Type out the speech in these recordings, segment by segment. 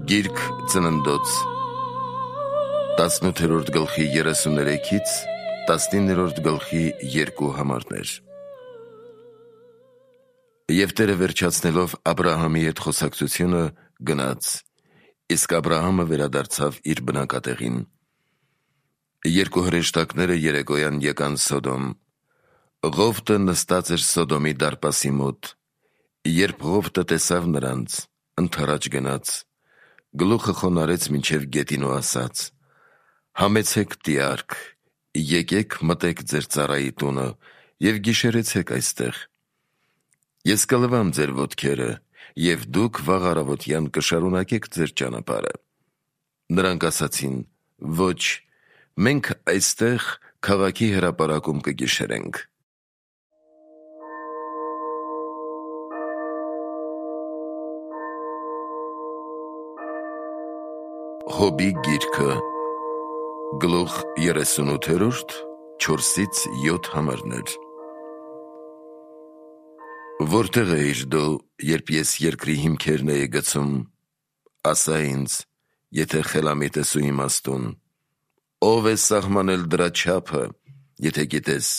Գիրք ծննդոց 18-րդ գլխի 33-ից 19-րդ գլխի 2 համարներ։ Եվ Տերը վերջացնելով Աբրահամի հետ խոսակցությունը գնաց, իսկ Աբրահամը վերադարձավ իր բնակատեղին։ Երկու հրեշտակները երեկոյան եկան Սոդոմ։ Ղովտը նստած էր Սոդոմի դարպասի մոտ։ Երբ Ղովտը տեսավ նրանց, ընդառաջ գնաց, գլուխը խոնարհեց մինչև գետին ու ասաց. «Համեցեք տիարք, եկեք մտեք ձեր ծառայի տունը և գիշերեցեք այստեղ։ Ես կլվամ ձեր ոտքերը, և դուք վաղ առավոտյան կշարունակեք ձեր ճանապարհը»։ Նրանք ասացին. «Ոչ, մենք այստեղ քաղաքի հրապարակում կգիշերենք»։ Հոբի գիրքը գլուխ 38, 4-ից 7 համարներ։ Որտեղ էիր դու, երբ ես երկրի հիմքերն էի գցում, ասա ինձ, եթե խելամիտ ես ու իմաստուն, ով է սահմանել դրա չափը, եթե գիտես,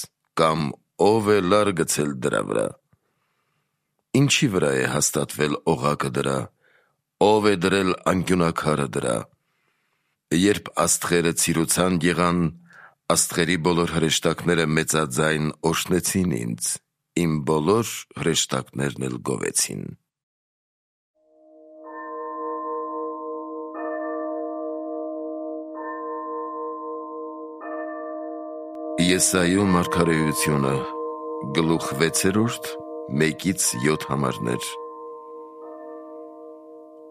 կամ ով է լար գցել դրա վրա։ Ինչի վրա է հաստատվել օղակը դրա, ով է դրել անկյունաքարը դրա։ Երբ աստղերը ցիրուցան եղան, աստղերի բոլոր հրեշտակները մեծաձայն օրհնեցին ինձ, իմ բոլոր հրեշտակներն էլ գովեցին։ Եսայու մարգարեությունը գլուխ 6, 1-ից 7 համարներ։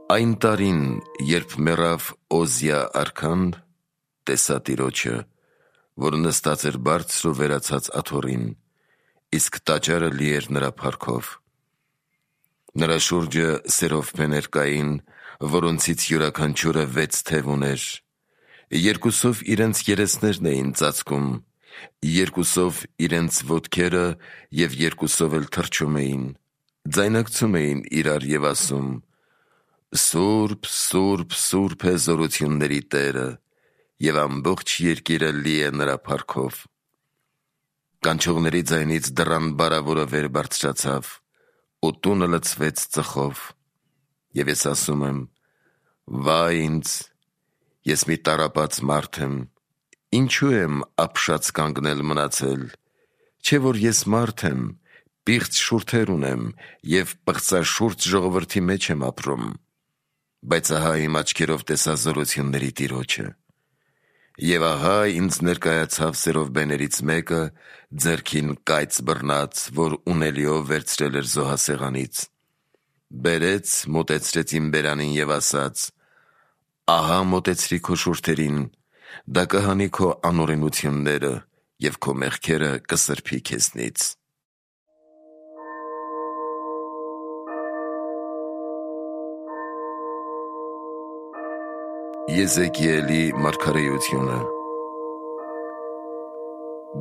Այն տարին, երբ մեռավ Օզիա արքան, տեսա Տիրոջը, որ նստած էր բարձր ու վերացած աթոռին, իսկ տաճարը լի էր նրա փառքով։ Նրա շուրջը սերովփեներ կային, որոնցից յուրաքանչյուրը 6 թև ուներ։ Երկուսով իրենց երեսներն էին ծածկում, երկուսով իրենց ոտքերը և երկուսով էլ թռչում էին, ձայնարկում էին իրար և ասում. «Սուրբ, Սուրբ, Սուրբ է զորությունների Տերը, և ամբողջ երկիրը լի է նրա փառքով»։ Կանչողների ձայնից դռան բարավորը վեր բարձրացավ, ու տունը լցվեց ծխով։ Եվ ես ասում եմ. «Վայ ինձ, ես մի տառապած մարդ եմ, ինչու եմ ապշած կանգնել մնացել, չէ՞ որ ես մարդ եմ, պիղծ շուրթեր ունեմ և պղծաշուրթ ժողովրդի մեջ եմ ապրում։ Բայց ահա իմ աչքերով տեսա զորությունների Տիրոջը։ Եվ ահա ինձ ներկայացավ սերովբեներից մեկը, ձեռքին կայծ բռնած, որ ունելիով վերցրել էր զոհասեղանից։ Բերեց, մոտեցրեց իմ բերանին և ասաց. «Ահա մոտեցրի քո շուրթերին, դա կհանի քո անօրենությունները, և քո մեղքերը կսրբի քեզնից»։ Եզեկիելի մարգարեությունը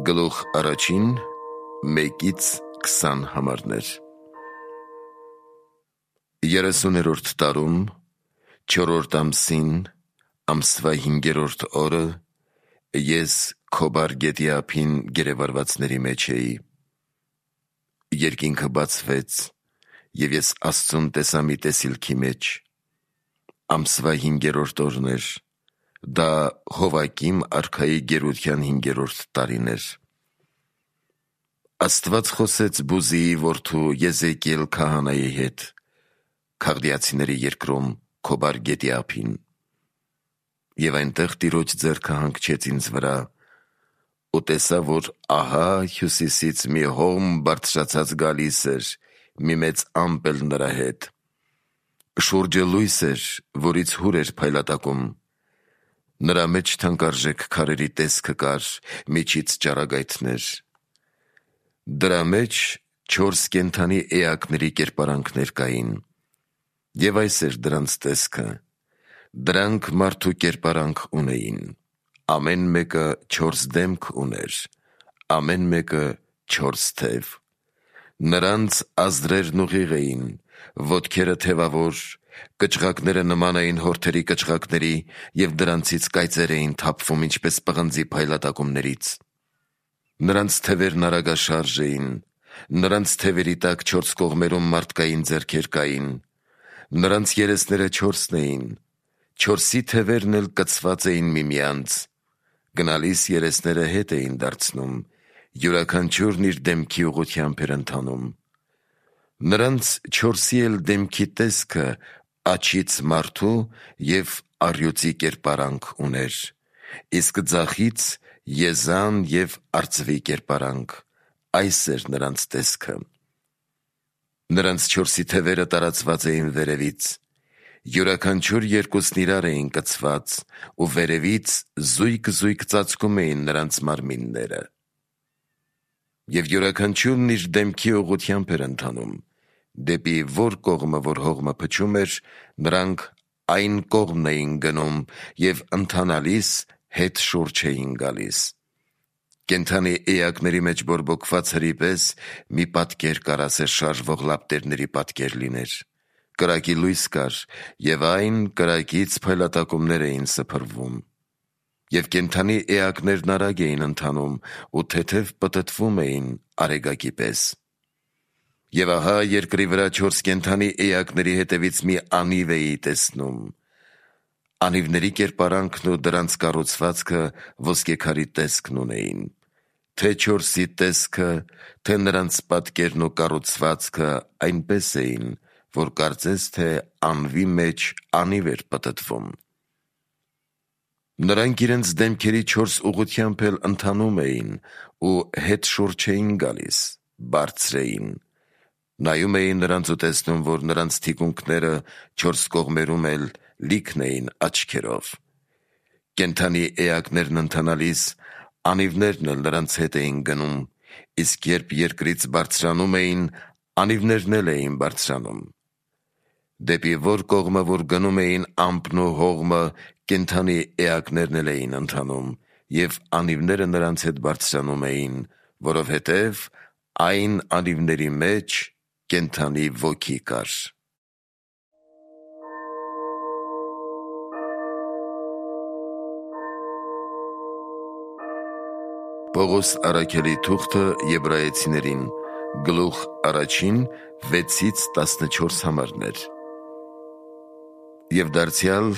գլուխ 1, 1-ից 20 համարներ։ 30-րդ տարում, 4-րդ ամսին, ամսվա 5-րդ օրը, ես Քոբար գետի ափին գերեվարվածների մեջ էի։ Երկինքը բացվեց, և ես Աստծուն տեսա մի տեսիլքի մեջ։ Ամսվա 5-րդ օրն էր, դա Հովակիմ արքայի գերության 5-րդ տարին էր։ Աստված խոսեց Բուզիի որդու Եզեկիել քահանայի հետ, Քաղդիացիների երկրում Քոբար գետի ափին։ Եվ այնտեղ Տիրոջ ձեռքը հանգչեց ինձ վրա, ու տեսա, որ ահա հյուսիսից մի հողմ բարձրացած գալիս էր, մի մեծ ամպ էլ նրա հետ։ Շուրջը լույս էր, որից հուր էր փայլատակում։ Նրա մեջ թանկարժեք քարերի տեսքը կար, միջից ճառագայթներ։ Դրա մեջ 4 կենդանի էակների կերպարանքներ կային։ Եվ այս էր դրանց տեսքը. դրանք մարդու կերպարանք ունեին, ամեն մեկը 4 դեմք ուներ, ամեն մեկը 4 թև։ Նրանց ազդրերն ուղիղ էին, ոտքերը թևավոր, Կճղակները նման էին հորթերի կճղակների և դրանցից կայծեր էին թափվում ինչպես պղնձի փայլատակումներից։ Նրանց թևերն արագաշարժ էին, նրանց թևերի տակ 4 կողմերում մարդկային ձեռքեր կային, նրանց երեսները 4-ն էին, 4-ի թևերն էլ կցված էին միմյանց, գնալիս երեսները հետ էին դարձնում, յուրաքանչյուրն իր դեմքի ուղղությամբ էր ընթանում։ Նրանց 4-ի էլ դեմքի տեսքը աջից մարդու և առյուծի կերպարանք ուներ, իսկ ձախից եզան և արծվի կերպարանք, այս էր նրանց տեսքը։ Նրանց 4-ի թևերը տարածված էին վերևից, յուրաքանչյուր երկուսն իրար էին կցված, ու վերևից զույգ-զույգ ծածկում էին նրանց մարմինները։ Եվ յուրաքանչյուրն իր դեմքի ուղղությամբ էր ընթանում, դեպի որ կողմը որ հողմը փչում էր, նրանք այն կողմն էին գնում և ընթանալիս հետ շուրջ էին գալիս։ Կենդանի էակների մեջ բորբոքված հրի պես մի պատկեր կար, ասես շարժվող լապտերների պատկեր լիներ, կրակի լույս կար, և այն կրակից փայլատակումներ էին սփռվում։ Եվ կենդանի էակներն արագ էին ընթանում ու թեթև պտտվում էին արեգակի պես։ Եվ ահա երկրի վրա 4 կենդանի էակների հետևից մի անիվ էի տեսնում։ Անիվների կերպարանքն ու դրանց կառուցվածքը ոսկեքարի տեսքն ունեին, թե 4-ի տեսքը, թե նրանց պատկերն ու կառուցվածքը այնպես էին, որ կարծես թե անվի մեջ անիվ էր պտտվում։ Նրանք իրենց դեմքերի 4 ուղղությամբ էլ ընթանում էին ու հետ շուրջ էին գալիս, բարձր էին։ Նայում էի նրանց ու տեսնում, որ նրանց թիկունքները 4 կողմերում էլ լիքն էին աչքերով։ Կենդանի էակներն ընթանալիս անիվներն էլ նրանց հետ էին գնում, իսկ երբ երկրից բարձրանում էին, անիվներն էլ էին բարձրանում։ Դեպի որ կողմը որ գնում էին ամպն ու հողմը, կենդանի էակներն էլ էին ընթանում, և անիվները նրանց հետ բարձրանում էին, որովհետև այն անիվների մեջ կենդանի ոգի կար։ Պողոս առաքյալի թուղթը Եբրայեցիներին, գլուխ 1, 6-14 համարներ։ Եվ դարձյալ,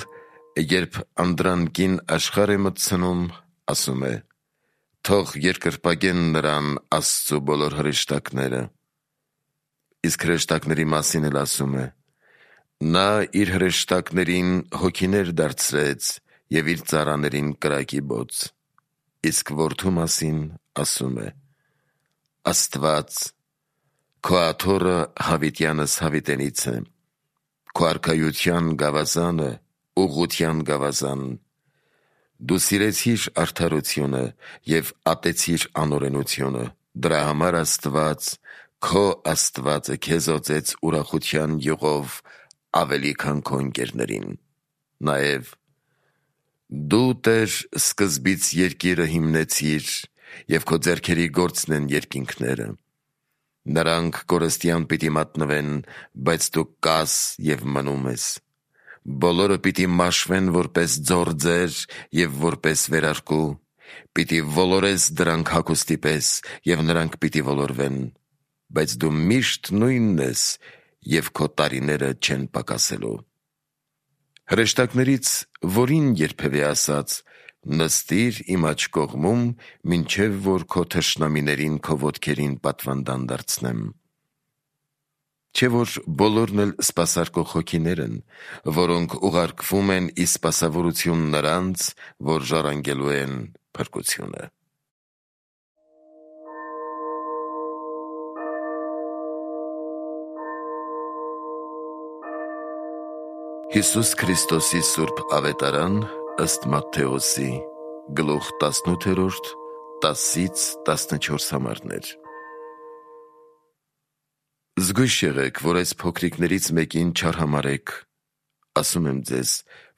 երբ անդրանքին աշխարհ է մտցնում, ասում է. թող երկրպագեն նրան Աստծու բոլոր հրեշտակները։ Իսկ հրեշտակների մասին էլ ասում է. նա իր հրեշտակներին հոգիներ դարձրեց և իր ծառաներին կրակի բոց։ Իսկ որդու մասին ասում է. Աստված, քո աթոռը հավիտյանս հավիտենից է, քո արքայության գավազանը, ուղղության գավազան։ Դու սիրեցիր արդարությունը և ատեցիր անօրենությունը, դրա համար Աստված, քո Աստվածը քեզ օծեց ուրախության յուղով ավելի քան քո ընկերներին։ Նաև դու, Տեր, սկզբից երկիրը հիմնեցիր, և քո ձեռքերի գործն են երկինքները։ Նրանք կորստյան պիտի մատնվեն, բայց դու կաս և մնում ես։ Բոլորը պիտի մաշվեն որպես ձորձեր և որպես վերարկու, պիտի ոլորես դրանք հագուստի պես, և նրանք պիտի ոլորվեն, բայց դու միշտ նույնն ես, և քո տարիները չեն պակասելու։ Հրեշտակներից որին երբևէ ասաց. նստիր իմ աջ կողմում, մինչև որ քո թշնամիներին քո ոտքերին պատվանդան դարձնեմ։ Չէ՞ որ բոլորն էլ սպասարկող հոգիներ են, որոնք ուղարկվում են ի սպասավորություն նրանց, որ ժառանգելու են փրկությունը։ Հիսուս Քրիստոսի Սուրբ Ավետարան ըստ Մատթեոսի, գլուխ 18, 10-14 համարներ։ Զգույշ եղեք, որ այս փոքրիկներից մեկին չարհամարեք։ Ասում եմ ձեզ,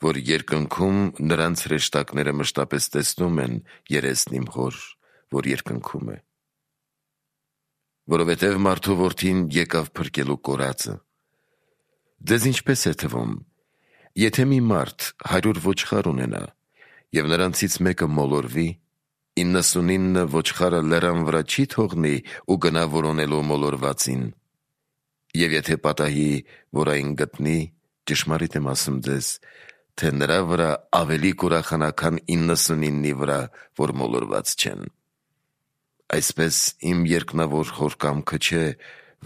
որ երկնքում նրանց հրեշտակները մշտապես տեսնում են երեսն իմ Հոր, որ երկնքում է։ Որովհետև մարդու որդին եկավ փրկելու կորածը։ Ձեզ ինչպես է թվում, եթե մի մարդ 100 ոչխար ունենա և նրանցից մեկը մոլորվի, 99 ոչխարը լեռան վրա չի թողնի ու գնա որոնելու մոլորվածին, և եթե պատահի, որ այն գտնի, ճշմարիտ եմ ասում ձեզ, թե նրա վրա ավելի կուրախանա, քան 99-ի վրա, որ մոլորված չեն։ Այսպես իմ երկնավոր Հոր կամքը չէ,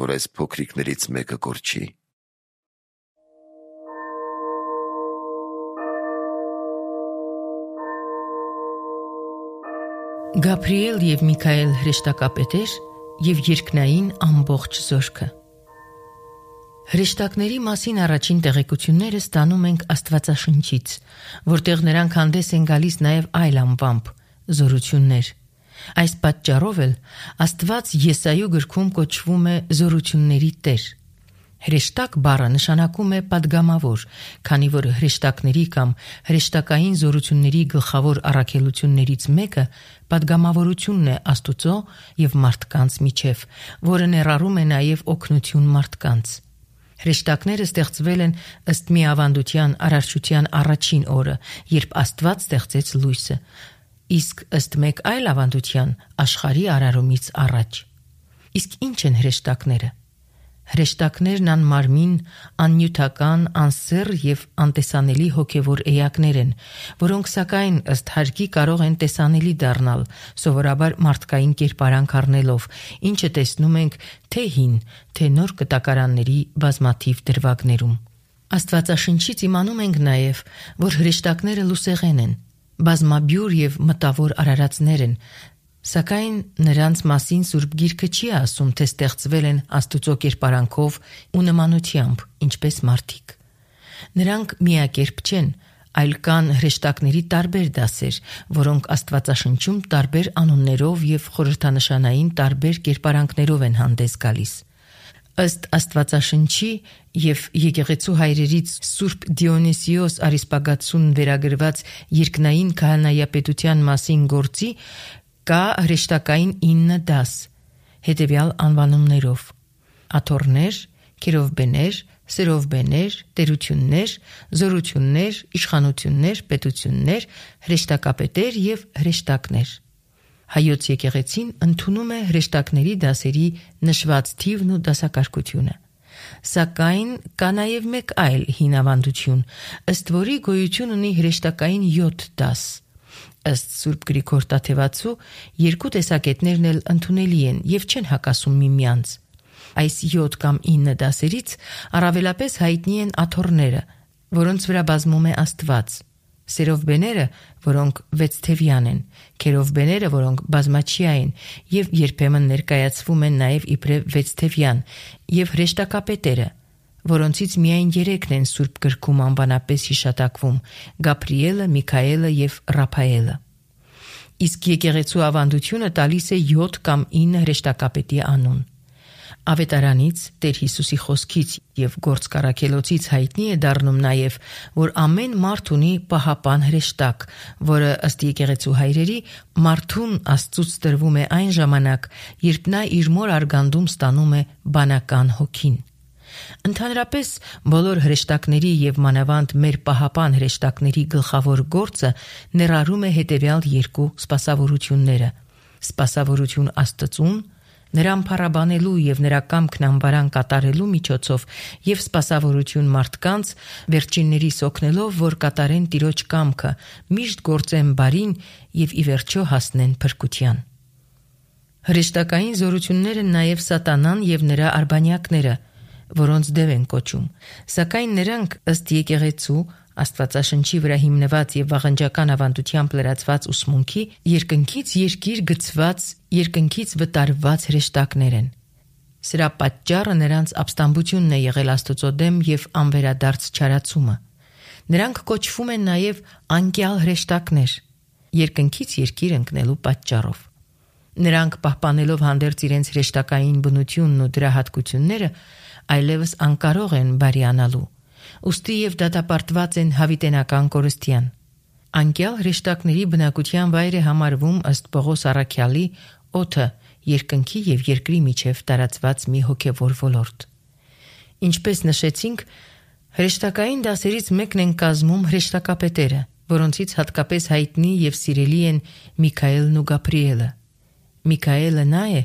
որ այս փոքրիկներից մեկը կորչի։ Գաբրիել և Միքայել հրեշտակապետեր և երկնային ամբողջ զորքը։ Հրեշտակների մասին առաջին տեղեկությունները ստանում ենք Աստվածաշնչից, որտեղ նրանք հանդես են գալիս նաև այլ անվամբ՝ զորություններ։ Այս պատճառով էլ Աստված Եսայու գրքում կոչվում է զորությունների Տեր։ Հրեշտակ բառը նշանակում է պատգամավոր, քանի որ հրեշտակների կամ հրեշտակային զորությունների գլխավոր առաքելություններից մեկը պատգամավորությունն է Աստուծո և մարդկանց միջև, որը ներառում է նաև օգնություն մարդկանց։ Հրեշտակները ստեղծվել են ըստ մի ավանդության արարչության առաջին օրը, երբ Աստված ստեղծեց լույսը, իսկ ըստ մեկ այլ ավանդության աշխարհի արարումից առաջ։ Իսկ ինչ են հրեշտակները։ Հրեշտակներն անմարմին, աննյութական, անսեռ և անտեսանելի հոգևոր էակներ են, որոնք սակայն ըստ հարկի կարող են տեսանելի դառնալ, սովորաբար մարդկային կերպարանք առնելով, ինչը տեսնում ենք թե հին, թե նոր կտակարանների բազմաթիվ դրվագներում։ Աստվածաշնչից իմանում ենք նաև, որ հրեշտակները լուսեղեն են, բազմաբյուր և մտավոր արարածներ են, սակայն նրանց մասին Սուրբ Գիրքը չի ասում, թե ստեղծվել են Աստուծո կերպարանքով ու նմանությամբ, ինչպես մարդիկ։ Նրանք միակերպ չեն, այլ կան հրեշտակների տարբեր դասեր, որոնք Աստվածաշնչում տարբեր անուններով և խորհրդանշանային տարբեր կերպարանքներով են հանդես գալիս։ Ըստ Աստվածաշնչի և եկեղեցու հայրերից Սուրբ Դիոնիսիոս Արիսպագացուն վերագրված երկնային քահանայապետության մասին գործի կա հրեշտակային 9 դաս, հետևյալ անվանումներով՝ աթոռներ, քերովբեներ, սերովբեներ, տերություններ, զորություններ, իշխանություններ, պետություններ, հրեշտակապետեր և հրեշտակներ։ Հայոց եկեղեցին ընդունում է հրեշտակների դասերի նշված թիվն ու դասակարգությունը։ Սակայն կա նաև մեկ այլ հին ավանդություն, ըստ որի գոյություն ունի հրեշտակային 7 դաս։ Ըստ Սուրբ Գրիգոր Տաթևացու երկու տեսակետներն էլ ընդունելի են և չեն հակասում միմյանց։ Այս 7 կամ 9 դասերից առավելապես հայտնի են աթոռները, որոնց վրա բազում է Աստված, սերովբեները, որոնք 6 թևյան են, քերովբեները, որոնք բազմաչիա են և երբեմն ներկայացվում են նաև իբրև 6 թևյան, և հրեշտակապետերը, որոնցից միայն 3-ն են Սուրբ գրքում անվանապես հիշատակվում՝ Գաբրիելը, Միքայելը և Ռափայելը։ Իսկ եկեղեցու ավանդությունը տալիս է 7 կամ 9 հրեշտակապետի անուն։ Ավետարանից, Տեր Հիսուսի խոսքից և գործք առաքելոցից հայտնի է դառնում նաև, որ ամեն մարդ ունի պահապան հրեշտակ, որը ըստ եկեղեցու հայրերի մարդուն Աստծուց տրվում է այն ժամանակ, երբ նա իր մոր արգանդում ստանում է բանական հոգին։ Ընդհանրապես բոլոր հրեշտակների և մանավանդ մեր պահապան հրեշտակների գլխավոր գործը ներառում է հետևյալ երկու սպասավորությունները՝ սպասավորություն Աստծուն, նրան փառաբանելու և նրա կամքն անվարան կատարելու միջոցով և սպասավորություն մարդկանց, վերջիններիս օգնելով, որ կատարեն Տիրոջ կամքը, միշտ գործեն բարին և ի վերջո հասնեն փրկության։ Հրեշտակային զորությունները նաև Սատանան և նրա արբանյակները, որոնց դև են կոչում, սակայն նրանք ըստ եկեղեցու Աստվածաշնչի վրա հիմնված և վաղնջական ավանդությամբ լրացված ուսմունքի երկնքից երկիր գցված, երկնքից վտարված հրեշտակներ են։ Սրա պատճառը նրանց ապստամբությունն է եղել Աստծո դեմ և անվերադարձ չարացումը։ Նրանք կոչվում են նաև անկյալ հրեշտակներ, երկնքից երկիր ընկնելու պատճառով։ Նրանք պահպանելով հանդերձ իրենց հրեշտակային բնությունն ու դրա հատկությունները, այլևս անկարող են բարիանալու, ուստի և դատապարտված են հավիտենական կորստյան։ Անկյալ հրեշտակների բնակության վայր է համարվում ըստ Պողոս առաքյալի օդը երկնքի և երկրի միջև տարածված մի հոգևոր ոլորտ։ Ինչպես նշեցինք, Հրեշտակային դասերից մեկն են կազմում հրեշտակապետերը, որոնցից հատկապես հայտնի եւ սիրելի են Միքայելն ու Գաբրիելը։ Միքայելը նա է,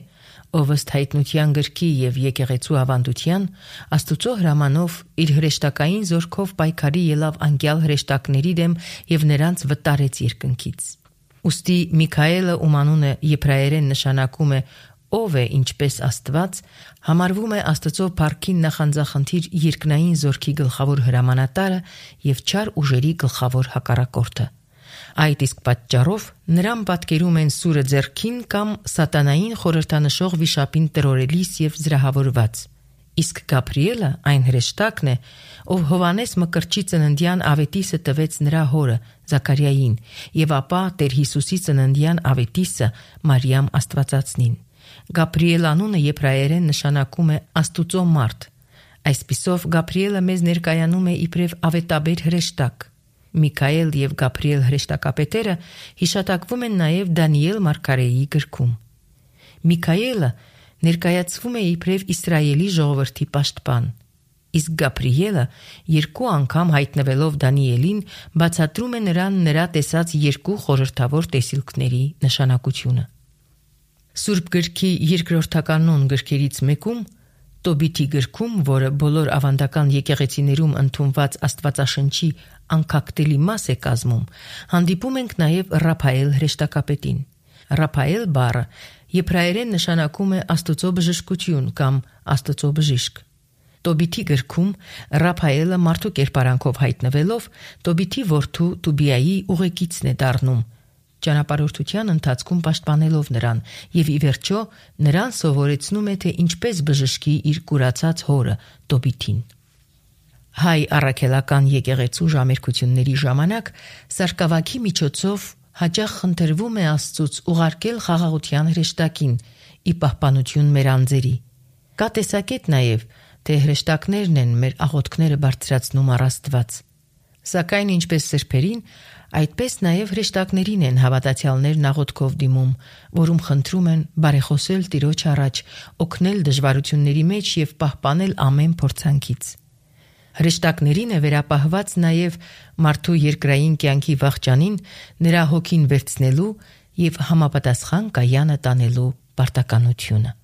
ով ըստ հայտնության գրքի եւ եկեղեցու ավանդության Աստուծո հրամանով իր հրեշտակային զորքով պայքարի ելավ անկյալ հրեշտակների դեմ եւ նրանց վտարեց երկնքից։ Ուստի Միքայելը, ում անունը եբրայերեն նշանակում է ով է ինչպես Աստված, համարվում է Աստծո փառքին նախանձախնդիր երկնային զորքի գլխավոր հրամանատարը եւ չար ուժերի գլխավոր հակառակորդը։ Այդ իսկ պատճառով նրան պատկերում են սուրը ձեռքին կամ սատանային խորհրդանշող վիշապին տրորելիս եւ զրահավորված։ Իսկ Գաբրիելը այն հրեշտակն է, ով Հովանես Մկրտչի ծննդյան ավետիսը տվեց նրա հորը Զաքարիային եւ ապա Տեր Հիսուսի ծննդյան ավետիսը Մարիամ Աստվածածնին։ Գաբրիել անունը եբրայերեն նշանակում է Աստուծո մարդ։ Այսպիսով Գաբրիելը մեզ ներկայանում է իբրև ավետաբեր հրեշտակ։ Միքայել եւ Գաբրիել հրեշտակապետերը հիշատակվում են նաեւ Դանիել մարգարեի գրքում։ Միքայելը ներկայացվում է իբրև Իսրայելի ժողովրդի պաշտպան, իսկ Գաբրիելը երկու անգամ հայտնվելով Դանիելին բացատրում է նրան նրա տեսած երկու խորհրդավոր տեսիլքների նշանակությունը։ Սուրբ գրքի երկրորդականոն գրքերից մեկում Տոբիթի գրքում, որը բոլոր ավանդական եկեղեցիներում ընդունված Աստվածաշնչի անկախտելի մաս է կազմում, հանդիպում ենք նաև Ռափայել հրեշտակապետին։ Ռափայել բառը եբրայերեն նշանակում է Աստծո բժշկություն կամ Աստծո բժիշկ։ Տոբիթի գրքում Ռափայելը մարդու կերպարանքով հայտնվելով Տոբիթի որդու Տուբիայի ուղեկիցն է դառնում, ճանապարհորդության ընթացքում պաշտպանելով նրան եւ ի վերջո նրան սովորեցնում է, թե ինչպես բժշկի իր կուրացած հորը Տոբիթին։ Հայ առաքելական եկեղեցու ժամերկությունների ժամանակ սարկավակի միջոցով հաճախ խնդրվում է Աստծուց ուղարկել խաղաղության հրեշտակին ի պահպանություն մեր անձերի։ Կա տեսակետ նաեւ, թե հրեշտակներն են մեր աղոթքները բարձրացնում առ Աստված։ Սակայն ինչպես սրբերին, այդպես նաև հրեշտակներին են հավատացյալներն աղոթքով դիմում, որում խնդրում են բարեխոսել Տիրոջ առաջ, օգնել դժվարությունների մեջ եւ պահպանել ամեն փորձանքից։ Հրեշտակներին է վերապահված նաև մարդու երկրային կյանքի վախճանին, նրա հոգին վերցնելու եւ համապատասխան կայանը տանելու պարտականությունը։